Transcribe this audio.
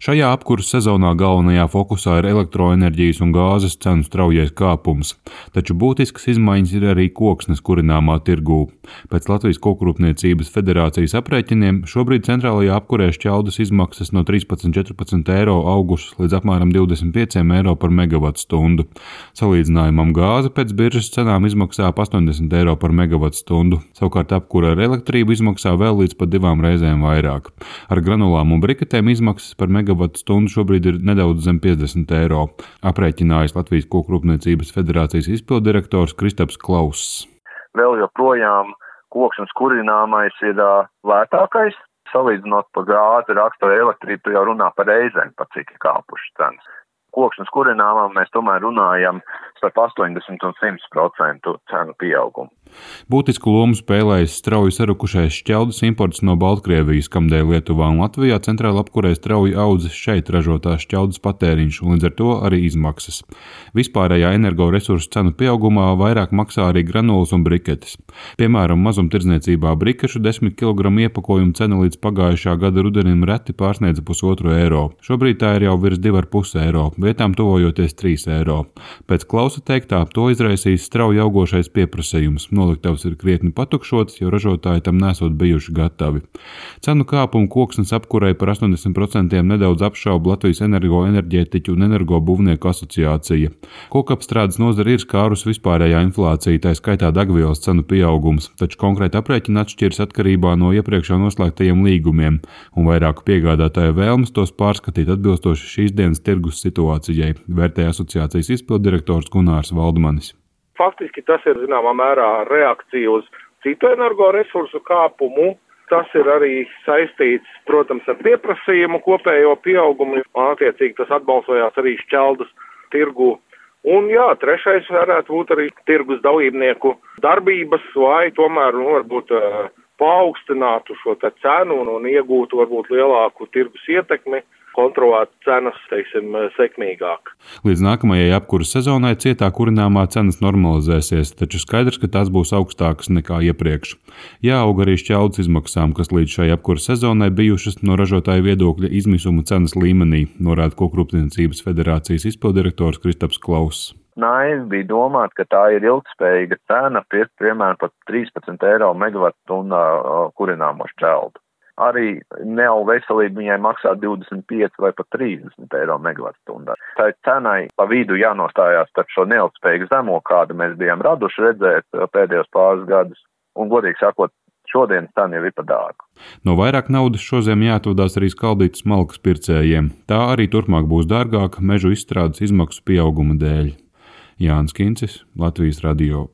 Šajā apkurses sezonā galvenajā fokusā ir elektroenerģijas un gāzes cenu straujais kāpums, taču būtiskas izmaiņas ir arī koksnes kurināmā tirgū. Pēc Latvijas Kokrūpniecības federācijas aprēķiniem šobrīd centrālajā apkurē šķeldas izmaksas no 13–14 eiro augušas līdz apmēram 25 eiro par megavatstundu. Salīdzinājumam gāze pēc biržas cenām izmaksā ap 80 eiro par megavatstundu, savukārt apkure ar elektrību izmaksā vēl līdz pat 2 reizēm vairāk. Ar granulām un briketēm izmaksas par megavatstundu šobrīd ir nedaudz zem 50 eiro, aprēķinājis Latvijas Kokrūpniecības federācijas izpilddirektors Kristaps Klauss. Vēl joprojām koksnes kurināmais ir lētākais. Salīdzinot par gāzi, rakstu elektrību, tu jau runā par reizēm, par cik ir kāpušas cenas. Koksnes kurināmām mēs tomēr runājam starp 80 un 100% cenu pieaugumu. Būtisku lomu spēlējas strauji sarukušais šķeldas imports no Baltkrievijas, kamdēļ Lietuvā un Latvijā centrāla apkurē strauji audzis šeit ražotās šķeldas patēriņš un līdz ar to arī izmaksas. Vispārējā energoresursu cenu pieaugumā vairāk maksā arī granulas un briketes. Piemēram, mazumtirdzniecībā brikešu 10 kg iepakojumu cena līdz pagājušā gada rudenim reti pārsniedza 1,5 eiro. Šobrīd tā ir jau virs 2,5 eiro, vietām tuvojoties 3 eiro. Pēc Klausa teiktā, to izraisīs strauji augošais pieprasījums. Noliktavas ir krietni patukšotas, jo ražotāji tam nesot bijuši gatavi. Cenu kāpumu koksnes apkurei par 80% nedaudz apšauba Latvijas enerģētiķu un energobūvnieku asociācija. Kokapstrādes nozare ir skārus vispārējā inflācija, tā skaitā degvielas cenu pieaugums, taču konkrēti aprēķini atšķiras atkarībā no iepriekš noslēgtajiem līgumiem un vairāku piegādātāju vēlmes tos pārskatīt atbilstoši šīs dienas tirgus situācijai, vērtēja asociācijas izpilddirektors Gunārs Valdmanis. Faktiski tas ir zināmā mērā reakcija uz citu energoresursu kāpumu. Tas ir arī saistīts, protams, ar pieprasījumu kopējo pieaugumu, un attiecīgi tas atbalsojās arī šķeldas tirgu. Un trešais varētu būt arī tirgus dalībnieku darbības, lai tomēr varbūt paaugstinātu šo cenu un iegūtu varbūt lielāku tirgus ietekmi, kontrolēt cenas, sekmīgāk. Līdz nākamajai apkuras sezonai cietā kurināmā cenas normalizēsies, taču skaidrs, ka tās būs augstākas nekā iepriekš. Jāaug arī šķeldas izmaksām, kas līdz šai apkuras sezonai bijušas no ražotāju viedokļa izmisuma cenas līmenī, norāda Kokrūpniecības federācijas izpilddirektors Kristaps Klauss. Naivi bija domāt, ka tā ir ilgspējīga cena, piemēram, pat 13 eiro megavatstundā kurināmo šķeldu. Arī neau veselība viņai maksā 25 vai pat 30 eiro megavatstundā. Tā cenai pa vidu jānostājās starp šo neilgspējīgu zemo, kādu mēs bijām raduši redzēt pēdējos pāris gadus, un, godīgi sakot, šodienas cena jau ir par dārgu. No vairāk naudas šoziem jāatvadās arī skaldītas malkas pircējiem. Tā arī turpmāk būs dārgāka mežu izstrādes izmaksu pieauguma dēļ. Jānis Kincis, Latvijas radio.